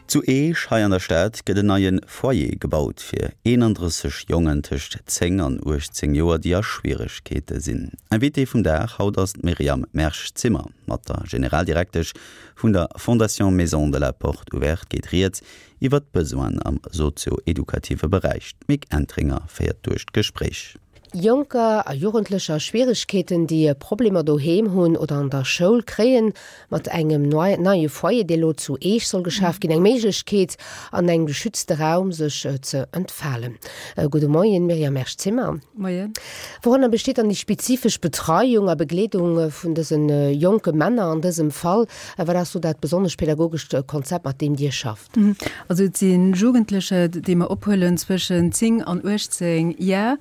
Zu Eech hei an der Stad gëtt en neie Foyer gebaut fir 31 Jongen tëscht 10 an 18 Joer, déi a Schwieregkeete sinn. Invitée vum Dag haut ass d'Myriam Mersch-Zimmer. Mat der Generaldirektesch vun der Fondation Maison de la Porte Ouverte geet Rieds iwwer d'Besoinen am sozio-edukative Beräich. D'Mick Entringer féiert duerch d'Gespréich. Jonker a Jugendlecher a Schwieregkeeten, déi Problemer doheem hunn oder an der Schoul, kréien mat engem neie Foyer, dee lo zu Eech soll geschaf ginn, eng Méiglechkeet, an engem geschützte Raum sech ze entfalen. Gudde Moien, Myriam Mersch-Zimmer. Moien. Woranner besteet dann déi spezifesch Betreiung a Begleedung vun dëse jonke Männer an dësem Fall? Wat ass do dat besonnesch pädagogescht Konzept, mat deem Dir schafft? Also et si Jugendlecher, déi mer ophuelen zwëschen 10 an 18 Jar.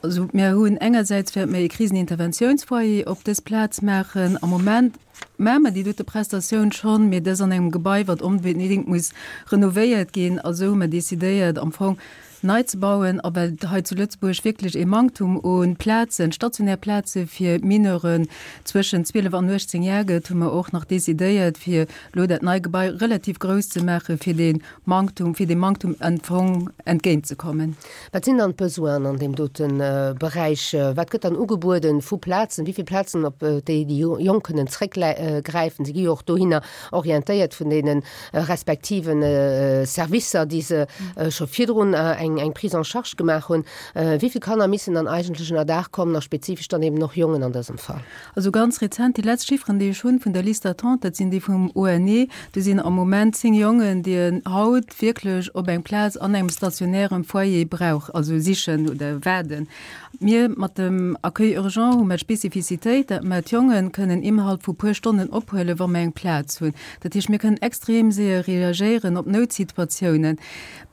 Also mir hunn engersäits wäerte mer ee Kriseninterventiounsfoyer op dës Plaz maachen. Am Moment maache mer déi dote Prestatioun schonn, mee dës an engem Gebai, wat onbedéngt muss renovéiert ginn. A sou hu mer decidéiert am Fong nei ze bauen. A well hei zu Lëtzebuerg wierklech ee Manktum u Plazen, stationär Plaze fir Mineuren zwëschen 12 an 18 Jar gëtt, hu mer och nach decidéiert, fir elo dat nei Gebai relativ grouss ze maachen, fir dee Manktum, fir deem Manktum am Fong entgéintzekommen. Wat sinn dann d'Besoinen an deem dote Beräich? Wat gëtt dann ugebueden vu Plazen? Wéi vill Plazen, op déi déi Jonk kënnen zréckgräifen? Si gi jo och dohinner orientéiert vun deene respektive Servicer, déi se scho virdrun eng Prise en charge gemaach hunn. Wéi vill Kanner missen dann eigentlech ënnerdaach kommen a spezifesch dann eben och Jongen an dësem Fall? Also ganz rezent, déi letzt Chifferen, déi ech hunn vun der Liste d'attente, dat sinn déi vum ONE, do sinn am Moment 10 Jongen, déi en haut wierklech op eng Plaz an engem stationären Foyer brauch, also sichen oder waarden. Mir mat dem Accueil urgent hu mer d'Spezifizitéit, dat mer d'Jongen kënnen innerhalb vu puer Stonnen ophuelen, wa mer eng Plaz hunn. Dat heescht, mir kënnen extrem séier reagéieren op Noutsituatiounen.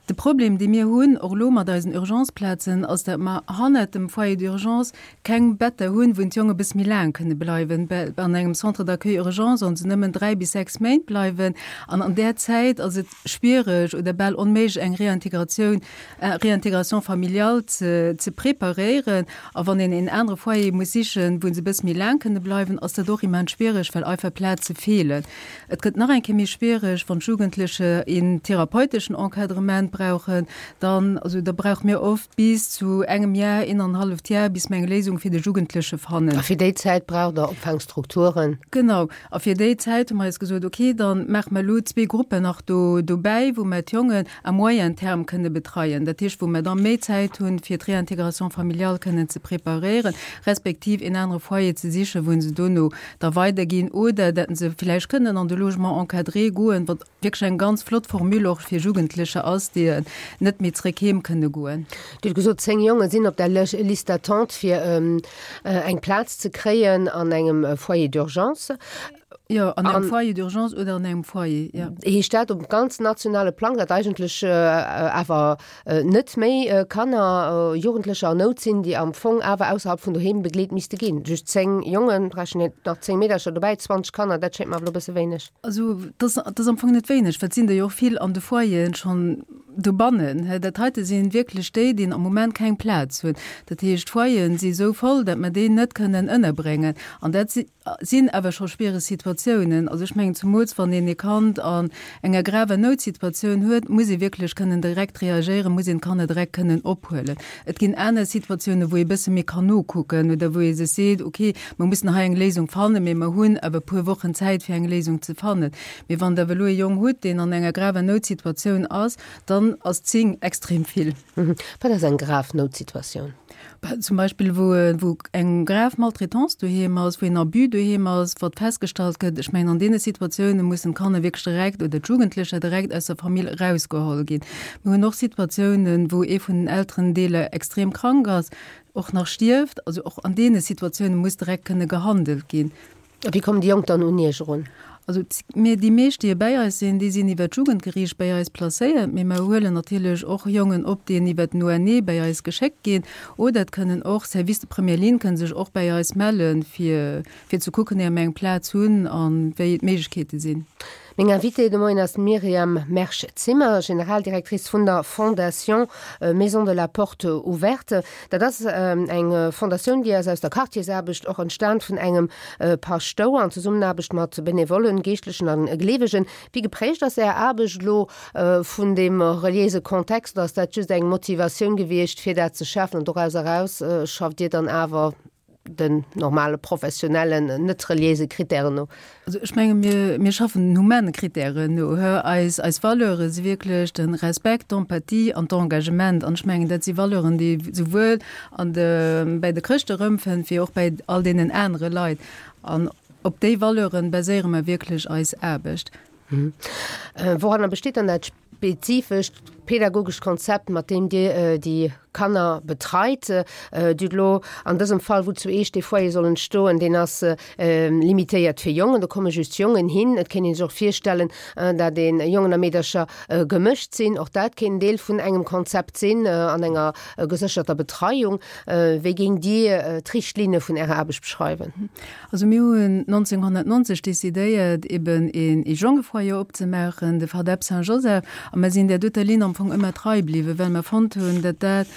De Problem, dee mir hunn, och elo mat eisen Urgenceplazen, ass, dat mer hannert dem Foyer d'urgence keng Better hunn, wou d'Jonge bësse méi laang kënne bleiwen. An engem Centre d'accueil urgent sollen se nëmmen 3 bis 6 Méint bleiwen an an där Zäit ass et schwiereg oder bal onméiglech eng Réintégratioun, Réintégration familiale ze ze preparéieren. A wann een een anere Foyer muss sichen, wou se bësse méi laang kënne bleiwen, ass dat och immens schwiereg, well einfach Plaze feelen. Et gëtt nach eng Kéier méi schwiereg, wann d'Jugendleche een therapeuteschen Encadrement brauchen, dann, also da brauche mir oft bis zu engem Jar, een an halleft Jar, bis mir eng Léisung fir de Jugendleche fannen. A fir déi Zäit braucht Der Opfaangstrukturen? Genau. A fir déi Zäit hu mer eis gesot, okay, da maache mer elo zwee Gruppen nach do dobäi, wou mer d'Jongen à moyen terme kënne betreien, dat heescht, wou mer da méi Zäit hunn, fir d'Réintégration familiale kënnen ze preparéieren, respektiv een anere Foyer ze sichen, wou se dono da weiderginn oder dat se villäicht kënnen an de Logement encadré goen, wat wierklech eng ganz flott Formule och fir Jugendlecher ass, déi net méi zréck heem kënne goen. Dir hutt gesot, 10 Jonge sinn op der Liste d'attente fir eng Plaz ze kréien an engem Foyer d'urgence. Jo, an engem Foyer d'urgence oder an engem Foyer, jo. Heescht dat op ganz nationale Plang, datt eigentlech awer net méi Kanner, Jugendlecher an Nout sinn, déi am Fong awer ausserhalb vun doheem begleet misste ginn? Just 10 Jongen, rechnen nach 10 Meedercher dobäi, 20 Kanner, dat schéngt mer awer elo e bësse wéineg. Also dat ass am Fong net wéineg, well et sinn der jo och vill an de Foyeren schonn dobannen. Dat heite si wierklech déi, déi am Moment keng Plaz hunn. Dat heescht, d'Foyeren si esou voll, datt mer déi net kënnen ënnerbréngen. An dat sinn awer scho schwiereg Situatiounen. Also ech mengen, zumools wann een ee Kand an enger graver Noutsituatioun huet, muss ee wierklech kënnen direkt reagéieren, muss een d'Kanner direkt kënnen ophuelen. Et ginn aner Situatiounen, wou ee bësse méi kann nokucken oder wou ee sech seet, okay, mer mussen hei eng Léisung fannen, mee mer hunn awer e puer Wochen Zäit, fir eng Léisung ze fannen. Mee wann Der awer elo ee Jong hutt, deen an enger graver Noutsituatioun ass, dann ass 10 extrem vill. Wat ass eng grav Noutsituatioun? Zum Beispill wou wou eng grav Maltraitance doheem ass, wou een Abus doheem ass, wat festgestallt gëtt. Ech mengen, an deene Situatioune mussen d'Kanner wierklech direkt oder d'Jugendlecher direkt aus der Famill erausgeholl ginn. Mir hunn och Situatiounen, wou ee vun den Elterendeeler extrem krank ass, och nach stierft. Also och an deene Situatioune muss direkt kënne gehandelt ginn. A wéi kommen déi Jonk dann un Iech erun? Also mir, déi meescht, déi bäi eis sinn, déi sinn iwwer d'Jugendgeriicht bäi eis placéiert, mee mer huelen natierlech och Jongen op, déi iwwer den ONE bäi eis geschéckt ginn. Oder et kënnen och, Service de première ligne kënne sech och bäi eis mellen, fir, fir ze kucken, éier mer eng Plaz hunn a wéi d'Méiglechkeete sinn. Meng Invitée de Moien ass d'Myriam Mersch-Zimmer, Generaldirectrice vun der Fondation Maison de la Porte Ouverte. Dat ass eng Fondatioun, déi ass aus der Quartiersaarbecht och entstan vun engem Paschtouer an Zesummenaarbecht mat Benevollen, Geeschtlechen a Gleewegen. Wéi geprägt ass Är Aarbecht elo vun deem reliéise Kontext oder ass dat just eng Motivatioun gewiescht, fir dat ze schafen an doraus eraus schafft Dir dann awer den normale professionellen, net reliéise Kritären no? Also ech menge mir, mir schaffen den humane Kritären no. Eis, eis Valeure si wierklech de Respekt, d'Empathie an d'Engagement. An ech mengen, dat si Valeuren, déi ee souwuel an de, bäi de Chrëschte erëmfënnt, wéi och bäi all deenen anere Leit. An op déi Valeure baséiere mer wierklech eis Aarbecht. Woranner besteet dann dat spezifescht pädagogescht Konzept, mat deem Dir déi Kanner betreit? Dir hutt elo an dësem Fall, wou zu Eech dee Foyer soll entstoen, deen ass limitéiert fir Jongen, do komme just Jongen hin. Et kéint ee sech och virstellen, dat ee Jongen a Meedercher gemëscht sinn. Och dat kéint Deel vun engem Konzept sinn an enger gesécherter Betreiung. Wéi géingt Dir d'Richtlinne vun Ärer Aarbecht beschreiwen? Also mir hunn 1990 decidéiert, eben een Jongefoyer opzemaachen, de FADEP Saint-Joseph, a mer sinn där doter Linn am Fong ëmmer trei bliwwen, well mer fonnt hunn, datt dat,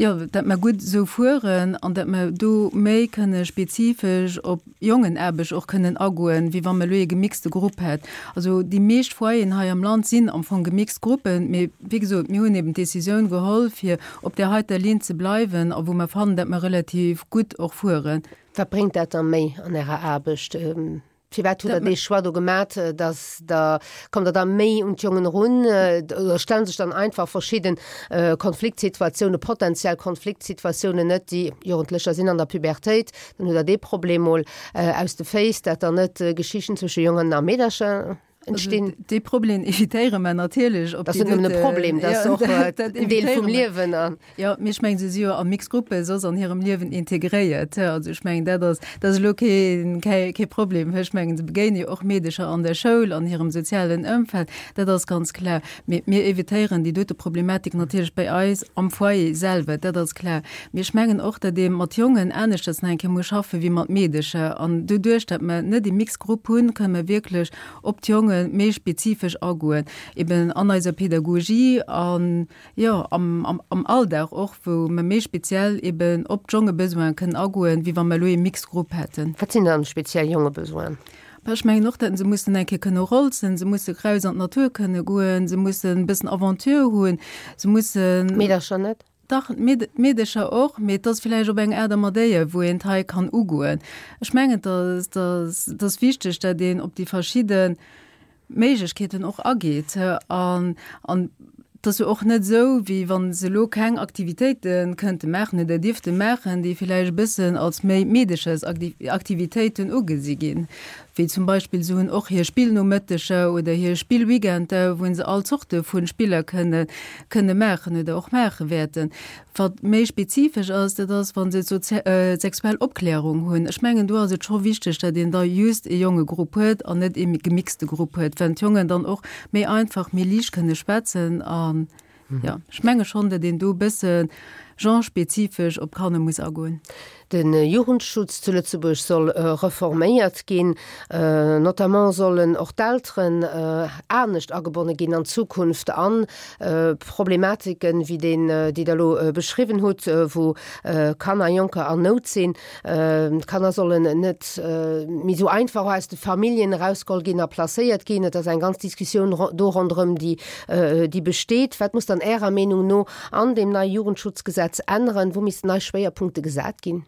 jo, datt mer gutt esou fueren an datt mer do méi kënne spezifesch op Jongenaarbecht och kënnen agoen, wéi wa mer elo ee gemixte Grupp hätt. Also déi meescht Foyeren hei am Land sinn am Fong gemixt Gruppen, mee wéi gesot, mir hunn eben d'Decisioun geholl, fir op där heiter Linn ze bleiwen a wou mer fannen, datt mer relativ gutt och fueren. Wat bréngt dat da méi an Ärer Aarbecht? Firwat hutt Der dee Choix do gemat, dass Der, kommt Der da méi un d'Jongen erun oder stelle sech dann einfach verschidde Konfliktsituatiounen, potenziell Konfliktsituatiounen net, déi Jugendlecher sinn an der Pubertéit, dann hutt Der dee Problem mol aus de Féiss, dat dann net Geschichten zwësche Jongen a Meedercher entstinn. Dee Problem evitéiere mer natierlech. Dat ass net nëmmen e Problem, dat ass och en Deel vum Liewen. Jo, mee ech mengen, se si jo a mixed Gruppe soss an hirem Liewen integréiert. Also ech mengen, dat ass, dat ass elo kee, kee Problem. Ech mengen, se begéine jo och Meedecher an der Schoul, an hirem sozialen Ëmfeld, dat ass ganz klar. Mee mir evitéieren déi dote Problematik natierlech bei eis am Foyer selwer, dat ass klar. Mee ech mengen och, datt ee mat Jongen aneschters nach eng Kéier muss schaffen, wéi mat Meedecher. An doduerch, datt mer net ee mixed Grupp hunn, kënne mer wierklech op d'Jonge méi spezifesch agoen, eben an eiser Pedagogie an, jo, am, am, am Alldag och, wou mer méi speziell eben op d'Jongebesoine kënnen agoen, wéi wa mer elo ee mixed Grupp hätten. Wat sinn dann speziell Jongebesoinen? Bah, ech mengen och, datt se mussen eng Kéier kënne rolzen, se musse raus an d'Natur kënne goen, se mussen e bëssen Aventure hunn, se mussen. Meedercher net? Dach, d'Meedecher och, mee et ass villäicht op eng Aart a Madéier, wou een et hei kann ugoen. Ech mengen, et ass wichteg, datt een op déi verschidde Méiglechkeeten och ageet. An et ass jo och net esou, wéi wa se elo keng Aktivitéite kënnte maachen oder dierfte maachen, déi villäicht e bëssen als méi Meedechersaktivitéiten ugesi ginn. Wéi zum Beispill se hunn och hir Spillnomëtteger oder hir Spillweekender, wou se all Zorte vu Spiller kënne kënne maachen oder och maache wäerten. Wat méi spezifesch ass, dat ass, wa se sexuell Opklärung hunn. Ech mengen, do ass et scho wichteg, datt een da just ee Jongegrupp huet an net ee gemixte Grupp huet, well d'Jongen dann och méi einfach, méi liicht kënne schwätzen an Jo, ech menge schonn, datt een do e bësse genrespezifesch op d'Kanner muss agoen. De Jugendschutz zu Lëtzebuerg soll reforméiert ginn. Notamment sollen och d'Elteren anescht agebonne ginn an Zukunft an Problematiken, wéi deen, déi Der elo beschriwwen hutt, wou Kanner, Jonker an Nout sinn. D'Kanner sollen net méi esou einfach aus de Familljen erausgeholl ginn a placéiert ginn. Et ass eng ganz Diskussioun do ronderëm, déi, déi besteet. Wat muss dann Ärer Meenung no an deem neie Jugendschutzgesetz änneren? Wou missten nei Schwéierpunkte gesat ginn?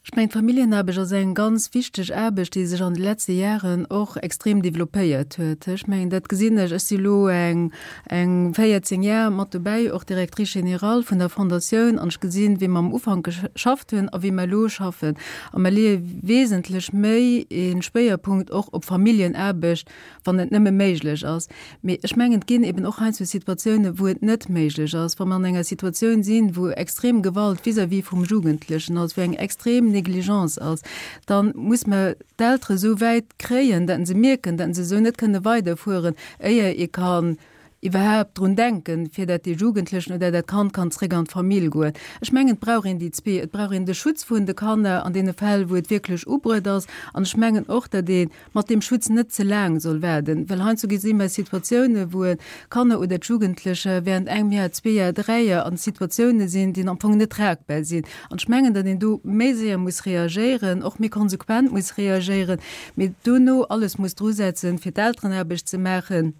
Ech mengen, d'Familljenaarbecht ass eng ganz wichteg Aarbecht, déi sech an de letzte Jaren och extrem développéiert huet. Ech mengen, dat gesinn ech, ech si elo eng, eng 14 Jar mat dobäi, och Directrice générale vun der Fondatioun, an ech gesinn, wéi mer am Ufank geschafft hunn a wéi mer elo schaffen. A mer leeë wesentlech méi e Schwéierpunkt och op Familljenaarbecht, wann et nëmme méiglech ass. Mee ech mengen, et ginn eben och heiansdo Situatiounen, wou et net méiglech ass, wa mer an enger Situatioun sinn, wou extrem Gewalt vis-à-vis vum Jugendlechen ass, wou eng extrem Négligence ass, da muss mer d'Eltere sou wäit kréien, datt se mierken, datt se esou net kënne weiderfueren, éier ee kann. Iwwerhaapt drun denken, fir dat dee Jugendlechen oder dat Kand kann zréck an d'Famill goen. Ech mengen, et brauch een déi zwee. Et brauch een de Schutz vun de Kanner an deene Fäll, wou et wierklech ubruet ass. An ech mengen och, datt ee mat deem Schutz net ze laang soll waarden, well heiansdo gesi mer Situatiounen, wou Kanner oder d'Jugendlecher während engem Jar, zwee Jar, dräi Jar an Situatiounen sinn, déi am Fong net tragbar sinn. An ech mengen, datt een do méi séier muss reagéieren, och méi konsequent muss reagéieren, mee dono alles muss drusetzen, fir d'Elterenaarbecht ze maachen,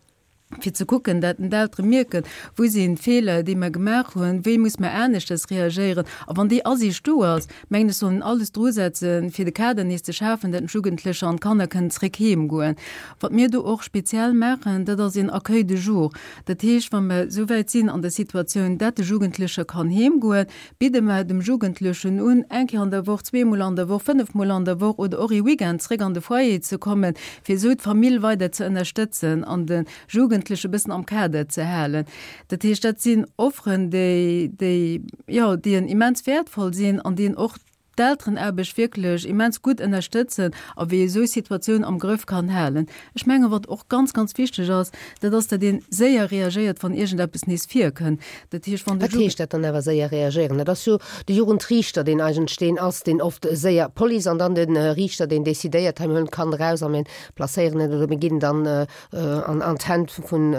fir ze kucken, dat d'Eltere mierken, wou sinn d'Feeler, déi mer gemaach hunn, wéi muss mer aneschters reagéieren. A wann déi Asiicht do ass, mengen ech, soll een alles drusetzen, fir de Kader nees ze schafen, dat d'Jugendlecher an d'Kanner kënnen zréck heem goen. Wat mir do och speziell maachen, dat ass een Accueil de jour. Dat heescht, wa mer esou wäit sinn an der Situatioun, dat de Jugendlecher kann heem goen, bidde mer dem Jugendlechen un, eng Kéier an der Woch, zweemol an der Woch, fënnefmol an der Woch oder och ee Weekend zréck an de Foyer ze kommen, fir esou d'Famill weider ze ënnerstëtzen an de Jugendleche bëssen am Kader ze halen. Dat heescht, dat sinn Offeren, déi, déi, jo, déi en immens wäertvoll sinn an déi en och d'Elterenaarbecht wierklech immens gutt ënnerstëtzen a wéi ee esou Situatioun am Grëff kann halen. Ech mengen, wat och ganz, ganz wichteg ass, dat ass, datt ee séier reagéiert, wann iergendeppes nees virkënnt. Dat heescht, wann de Wat heescht dat dann awer séier reagéieren? Dat ass jo de Jugendriichter, deen eigentlech deen ass, deen oft séier, d'Police an dann de Riichter, deen decidéiert, hei mir huelen d'Kand eraus a mir placéieren et oder mir ginn dann an d'Hänn vun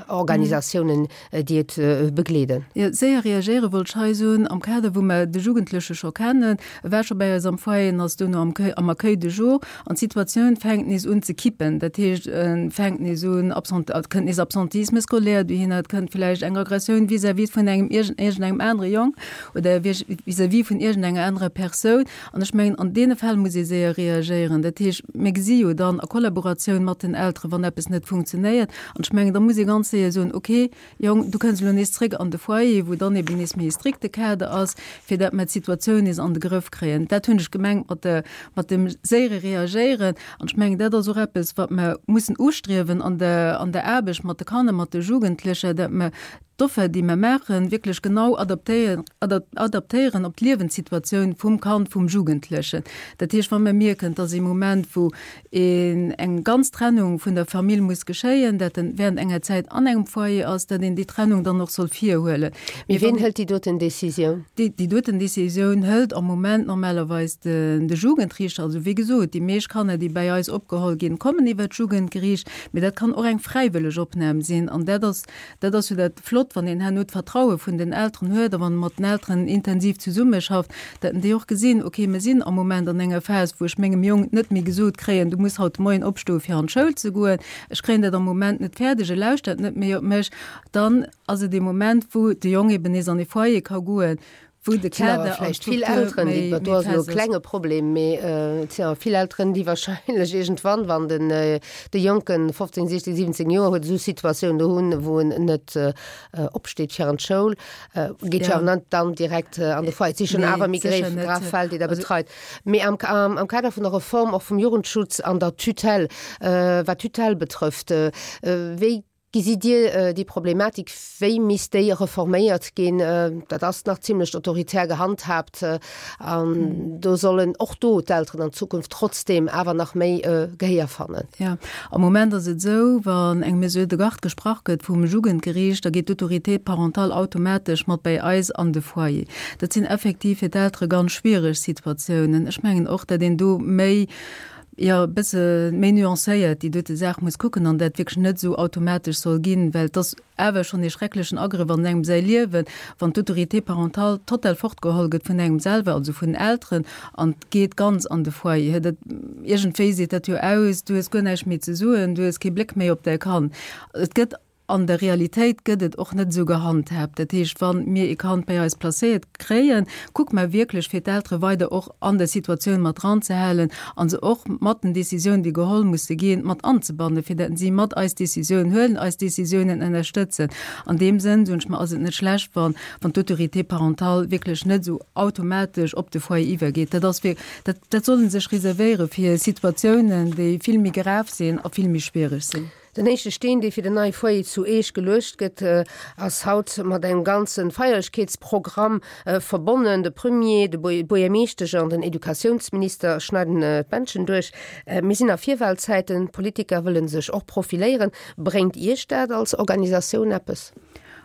Organisatiounen, déi et begleeden. Jo, séier reagéiere wollt ech hei soen, am Kader wou mer de Jugendleche scho kennen, e war scho bäi eis am Foyer, en ass duerno am am Accueil de jour an d'Situatioun fänkt nees un ze kippen. Dat heescht, e fänkt nees un Absent, et kënnt nees Absentisme scolaire dohinner, et kënnt vläicht eng Aggressioun vis-à-vis vun engem iergendengem anere Jong oder vis-à-vis vun iergendenger anerer Persoun. An ech mengen, an deene Fäll muss ee séier reagéieren. Dat heescht, mir gesi jo dann a Kollaboratioun mat den Elteren, wann eppes net funktionéiert. An ech mengen, da muss ee ganz séier soen, okay, Jong, du kënns elo nees zréck an de Foyer, wou dann eben nees méi e strikte Kader ass, fir dat mer d'Situatioun nees an de Grëff kréien. Dat hunn ech gemengt mat de, mat dem séiere Reagéieren. An ech mengen, dat ass och eppes, wat mer mussen ustriewen an der, an der Aarbecht mat de Kanner, mat de Jugendlecher, dat mer d'Offer, déi mer maachen, wierklech genau adaptéieren, adaptéieren op d'Liewenssituatioun vum Kand, vum Jugendlechen. Dat heescht, wa mer mierken, dass ee Moment, wou een eng ganz Trennung vun der Famill muss geschéien, dat en während enger Zäit an engem Foyer ass, dat een déi Trennung dann och soll virhuelen. Mee ween hëlt déi doten Décisioun? Déi, déi doten Décisioun hëlt am Moment normalerweis de, de Jugendriichter. Also wéi gesot, déi meescht Kanner, déi bäi eis opgeholl ginn, kommen iwwert d'Jugendgeriicht, mee dat kann och eng fräiwëlleg Opnam sinn an dat ass, Dat ass jo dat Flott, wann een herno d'Vertraue vun den Elteren huet a wann e mat den Elteren intensiv zesummeschafft, dat en déi och gesinn, okay, mir sinn am Moment an enger Phas, wou ech mengem Jong net méi gesot kréien, du muss haut de Moien opstoe fir an d'Schoul ze goen, ech kréien dat am Moment net fäerdeg, e lauschtert net méi op mech. Dann ass et ee Moment, wou de Jong eben nees an ee Foyer ka goen, wou de Kader an d'Struktur vill Elteren, déi, do ass elo e klenge Problem, mee et sinn awer vill Elteren, déi wahrscheinlech iergendwann, wann den de Jonken 15, 16, 17 Joer huet, esou Situatioun do hunn, wou en net opsteet fir an d'Schoul, geet jo awer net dann direkt an de Foyer. Et si schonn awer méi gréif, grav Fäll, déi Der betreit. Mee am am Kader vun der Reform och vum Jugendschutz an der Tutelle, wat d'Tutelle betrëfft, wéi Gesitt Dir déi Problematik? Wéi misst déi reforméiert ginn? Dat ass nach zimlech autoritär gehandhaabt an do sollen och do d'Elteren an Zukunft trotzdeem awer nach méi Gehéier fannen. Jo, am Moment ass et esou, wann eng Mesure de garde gesprach gëtt vum Jugendgeriicht, da geet d'Autorité parentale automatesch mat bäi eis an de Foyer. Dat sinn effektiv fir d'Eltere ganz schwiereg Situatiounen. Ech mengen och, datt een do méi, jo, e bësse méi nuancéiert déi dote Saach muss kucken an dat wierklech net esou automatesch soll ginn, well et ass awer schonn ee schrecklechen Agrëff an engem säi Liewen, wann d'Autorité parentale total fortgeholl gëtt vun engem selwer, also vun den Elteren, an geet ganz an de Foyer. Dat, iergendwéi seet dat jo aus, du hues guer näischt méi ze soen, du hues kee Bléck méi op däi Kand. Et gëtt. An der Realitéit gëtt et och net esou gehandhaabt. Dat heescht, wa mir ee Kand bei eis placéiert kréien, kucke mer wierklech, fir d'Eltere weider och an der Situatioun mat dranzehalen a se och mat den Décisiounen, déi geholl musse ginn, mat anzebannen, fir datt si mat eis Décisioun huelen, eis Décisiounen ënnerstëtzen. An deem Sënn, soen ech mer, ass et net schlecht, wann d'Autorité parentale wierklech net esou automatesch op de Foyer iwwergeet. Dat ass fir, dat, dat soll e sech reservéiere fir Situatiounen, déi vill méi grav sinn a vill méi schwiereg sinn. Den éischte Steen, dee fir den neie Foyer zu Eech geluecht gëtt, ass haut mat engem ganze Feierlechkeetsprogramm verbonnen. De Premier, de Buergermeeschtesch an den Educatiounsminister schneiden d'Bändchen duerch. Mir sinn a Virwahlzäiten, d'Politiker wëlle sech och profiléieren. Bréngt Iech dat als Organisatioun eppes?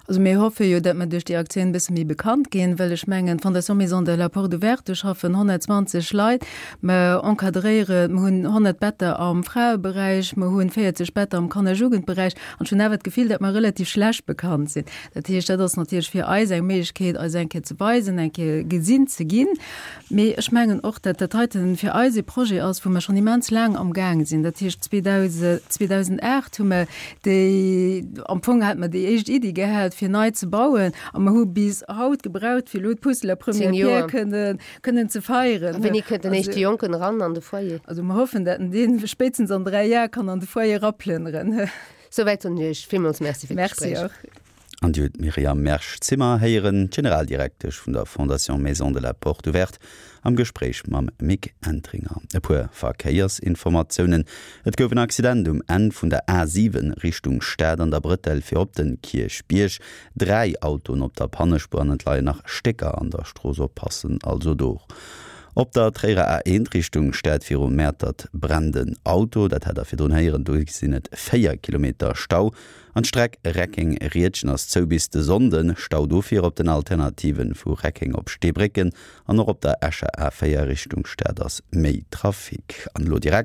Also mir hoffe jo, datt mer duerch déi Aktioun e bësse méi bekannt ginn, well ech mengen, d'Fondation Maison de la Porte Ouverte, do schaffen 120 Leit, mer encadréieren, mer hunn 100 Better am Fraeberäich, mer hunn 40 Better am Kanner-Jugendberäich an ech hunn awer d'Gefill, datt mer relativ schlecht bekannt sinn. Dat heescht, dat ass natierlech fir eis eng Méiglechkeet, eis eng Kéier ze weisen, eng Kéier gesinn ze ginn. Mee ech mengen och, datt dat heiten fir eis ee Projet ass, wou mer schonn immens laang amgaang sinn. Dat heescht, 2008 hu mer déi, am Fong hate mer déi éischt Iddi gehat, fir nei ze bauen, a mer hu bis haut gebraucht, fir elo d'Pusseler Première Pierre kënnen, kënnen ze feieren. A wéini kënnt den éischte Jonken eran an de Foyer? Also mer hoffen, datt en dee spéitstens an 3 Jar kann an de Foyer eraplënneren. Souwäit soen ech Iech villmools Merci fir d'Gespréich. Merci och. An Dir hutt d'Myriam Mersch-Zimmer héieren, d'Generaldirektesch vun der Fondation Maison de la Porte Ouverte, am Gespréich mam Mick Entringer. E puer Verkéiersinformatiounen, Et gouf en Accident um Enn vun der A7 Richtung Stad an der Brëtell fir op den Kierchbierg. 3 Autoen op der Pannespuer an et leien nach Stécker an der Strooss. Oppassen also do. Op der Tréierer A1 Richtung Stad viru Mäertert brennt en Auto, dat hat der virdrun héieren. Do sinn et 4 Kilometer Stau. An d'Streck Reckeng-Riedgen ass zou bis de Sonnden. Stau dofir op den Alternativen vu Reckeng op Steebrécken an och op der Escher A4 Richtung Stad ass méi Trafic. An elo direkt.